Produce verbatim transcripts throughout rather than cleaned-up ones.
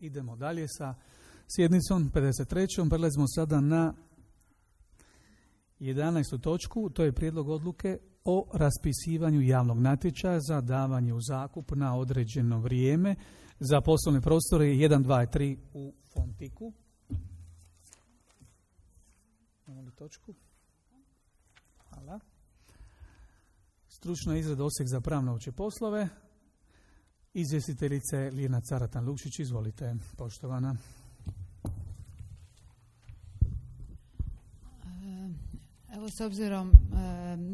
Idemo dalje sa sjednicom pedeset trećom. Prelazimo sada na jedanaestu točku. To je prijedlog odluke o raspisivanju javnog natječaja za davanje u zakup na određeno vrijeme za poslovne prostore jedan, dva i tri u Fontiku. Imamo li točku? Hvala. Stručna izrada Osijek za pravne opće poslove. Izvjestiteljice Ljiljana Caratan-Lukšić, izvolite, poštovana. Evo, s obzirom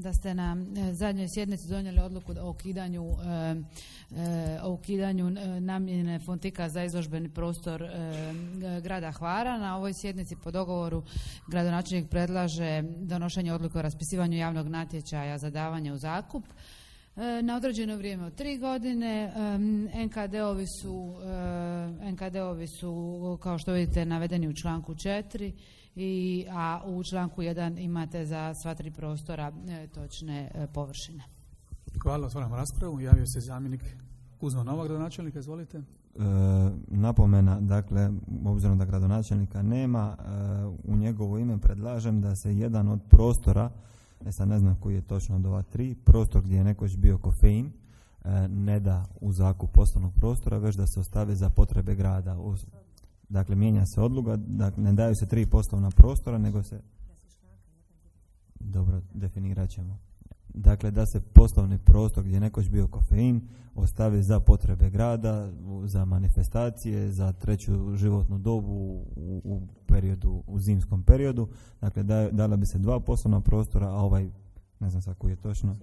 da ste na zadnjoj sjednici donijeli odluku o ukidanju, o ukidanju namjene Fontika za izložbeni prostor grada Hvara, na ovoj sjednici po dogovoru gradonačelnik predlaže donošenje odluke o raspisivanju javnog natječaja za davanje u zakup na određeno vrijeme od tri godine. en ka de ovi su, en ka de ovi su kao što vidite navedeni u članku četiri, i, a u članku jedan imate za sva tri prostora e, točne e, površine. Hvala, otvaram raspravu. Javio se zamjenik Kuzma Novak, gradonačelnika, izvolite. E, napomena, dakle, obzirom da gradonačelnika nema, e, u njegovo ime predlažem da se jedan od prostora, e sad ne znam koji je točno od ova tri, prostor gdje je nekoć bio kofein, e, ne da u zakup poslovnog prostora, već da se ostavi za potrebe grada. U, dakle, mijenja se odluka, dakle, ne daju se tri poslovna prostora, nego se... Dobro, definirat ćemo. Dakle, da se poslovni prostor gdje je nekoć bio kofein ostavi za potrebe grada, za manifestacije, za treću životnu dobu u, u periodu, u zimskom periodu. Dakle, da, dala bi se dva poslovna prostora, a ovaj, ne znam sad koji je točno,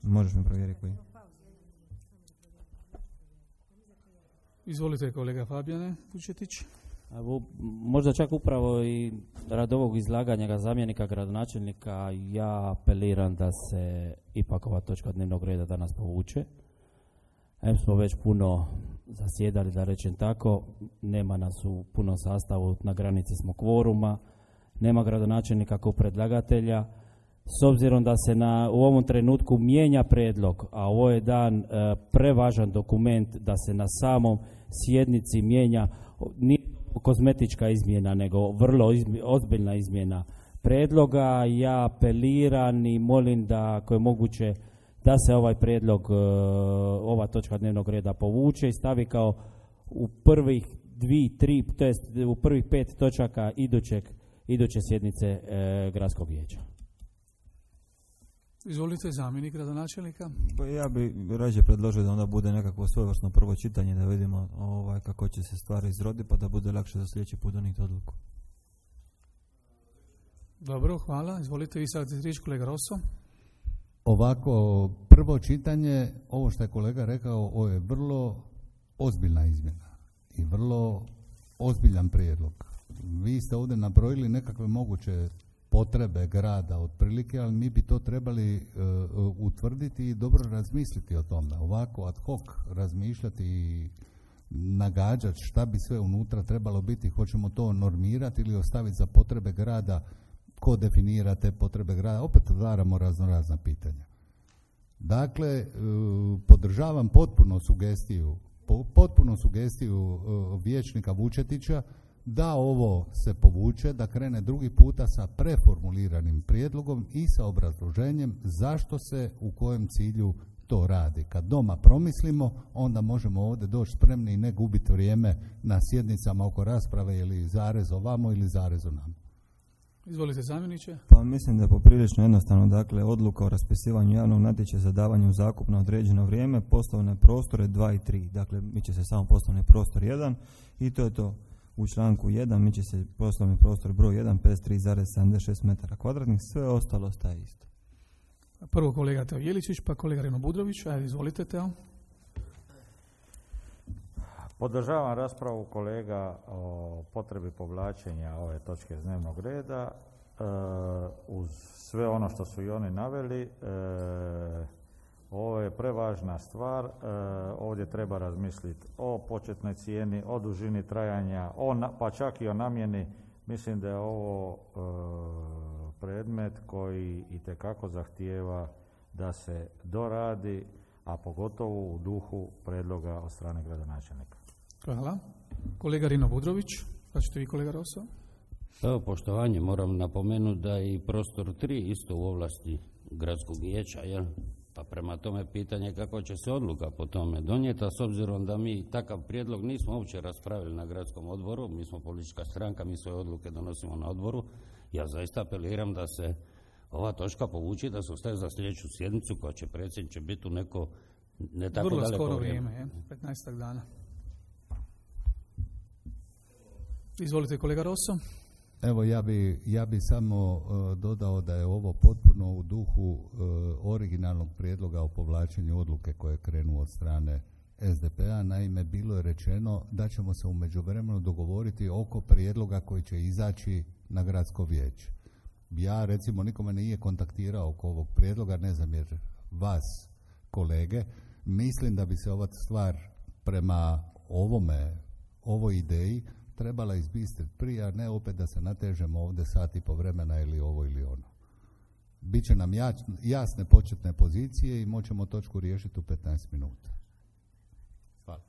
možeš mi provjeriti koji. Izvolite, kolega Fabijane Vučetić. Evo, možda čak upravo i radi ovog izlaganja ga zamjenika gradonačelnika ja apeliram da se ipak ova točka dnevnog reda danas povuče. Em smo već puno zasjedali, da rečem tako, nema nas u punom sastavu, na granici smo kvoruma, nema gradonačelnika kao predlagatelja. S obzirom da se na, u ovom trenutku mijenja predlog, a ovo je dan e, prevažan dokument da se na samom sjednici mijenja, nije kozmetička izmjena, nego vrlo izmi, ozbiljna izmjena predloga. Ja apeliram i molim da, ako je moguće, da se ovaj predlog, e, ova točka dnevnog reda povuče i stavi kao u prvih dvi, tri, to jest u prvih pet točaka idućeg, iduće sjednice e, gradskog vijeća. Izvolite, zamjenik gradonačelnika. Pa ja bih rađe predložio da onda bude nekakvo svojevrsno prvo čitanje, da vidimo ovaj, kako će se stvari izroditi, pa da bude lakše za sljedeći put donijeti odluku. Dobro, hvala. Izvolite, vi sad riječ, kolega Rosso. Ovako, prvo čitanje, ovo što je kolega rekao, ovo je vrlo ozbiljna izmjena i vrlo ozbiljan prijedlog. Vi ste ovdje nabrojili nekakve moguće potrebe grada otprilike, ali mi bi to trebali uh, utvrditi i dobro razmisliti o tome. Ovako ad hoc razmišljati i nagađati šta bi sve unutra trebalo biti, hoćemo to normirati ili ostaviti za potrebe grada, ko definira te potrebe grada, opet otvaramo razno razna pitanja. Dakle, uh, podržavam potpuno sugestiju, po, potpuno sugestiju uh, vijećnika Vučetića da ovo se povuče, da krene drugi puta sa preformuliranim prijedlogom i sa obrazloženjem zašto se u kojem cilju to radi. Kad doma promislimo, onda možemo ovdje doći spremni i ne gubiti vrijeme na sjednicama oko rasprave ili zarez ovamo ili zarez onamo. Izvolite, zamjeniče. Pa mislim da je poprilično jednostavno, dakle, odluka o raspisivanju javnog natječaja za davanje u zakup na određeno vrijeme, poslovne prostore dva i tri. Dakle, mi će se samo poslovni prostor jedan i to je to. U članku jedan mi će se poslovni prostor broj jedan, pedeset tri zarez sedamdeset šest metara kvadratnih, sve ostalo ostaje isto. Prvo kolega Teo Jeličić, pa kolega Reno Budrović. Ajde, izvolite, Teo. Podržavam raspravu kolega o potrebi povlačenja ove točke iz dnevnog reda. E, uz sve ono što su i oni naveli, e, ovo je prevažna stvar. E, ovdje treba razmisliti o početnoj cijeni, o dužini trajanja, o na, pa čak i o namjeni. Mislim da je ovo e, predmet koji itekako zahtijeva da se doradi, a pogotovo u duhu predloga od strane gradonačelnika. Hvala. Kolega Rino Budrović, pa ćete vi kolega Rosso. Evo, poštovanje, moram napomenuti da je i prostor tri isto u ovlasti gradskog vijeća, jel? Pa prema tome pitanje kako će se odluka po tome donijeti, a s obzirom da mi takav prijedlog nismo uopće raspravili na gradskom odboru, mi smo politička stranka, mi svoje odluke donosimo na odboru, ja zaista apeliram da se ova točka povuči, da se ostaje za sljedeću sjednicu koja će predsjedniče biti u neko ne tako vrlo daleko skoro vrijeme. vrijeme, petnaestak dana. Izvolite kolega Rosso. Evo ja bi, ja bi samo uh, dodao da je ovo potpuno u duhu uh, originalnog prijedloga o povlačenju odluke koje je krenuo od strane S D P-a. Naime, bilo je rečeno da ćemo se u međuvremenu dogovoriti oko prijedloga koji će izaći na gradsko vijeće. Ja recimo nikome nije kontaktirao oko ovog prijedloga, ne znam jer vas kolege, mislim da bi se ova stvar prema ovome, ovoj ideji trebala izbistriti prije, a ne opet da se natežemo ovdje sat i po vremena ili ovo ili ono. Biće nam jasne početne pozicije i moćemo točku riješiti u petnaest minuta. Hvala.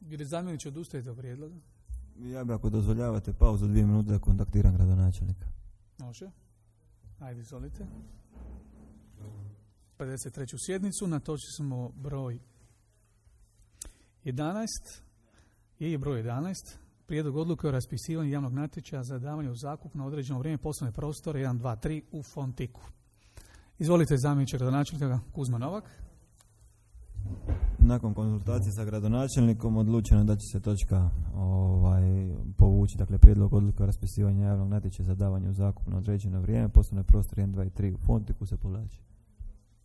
Gdje zamjeniče odustajete od prijedloga? Ja bi, ako dozvoljavate, pauzu dvije minute da kontaktiram gradonačelnika. Može. Ajde, izvolite. pedeset treću sjednicu, na točci smo broj jedanaest, je broj jedanaest, prijedlog odluke o raspisivanju javnog natječaja za davanje u zakup na određeno vrijeme poslovne prostore jedan dva tri u Fontiku. Izvolite zamjeniče gradonačelnika Kuzma Novak. Nakon konzultacije sa gradonačelnikom odlučeno da će se točka ovaj, povući, dakle prijedlog odluke o raspisivanju javnog natječaja za davanje u zakup na određeno vrijeme poslovne prostore jedan dva tri u Fontiku se povlači.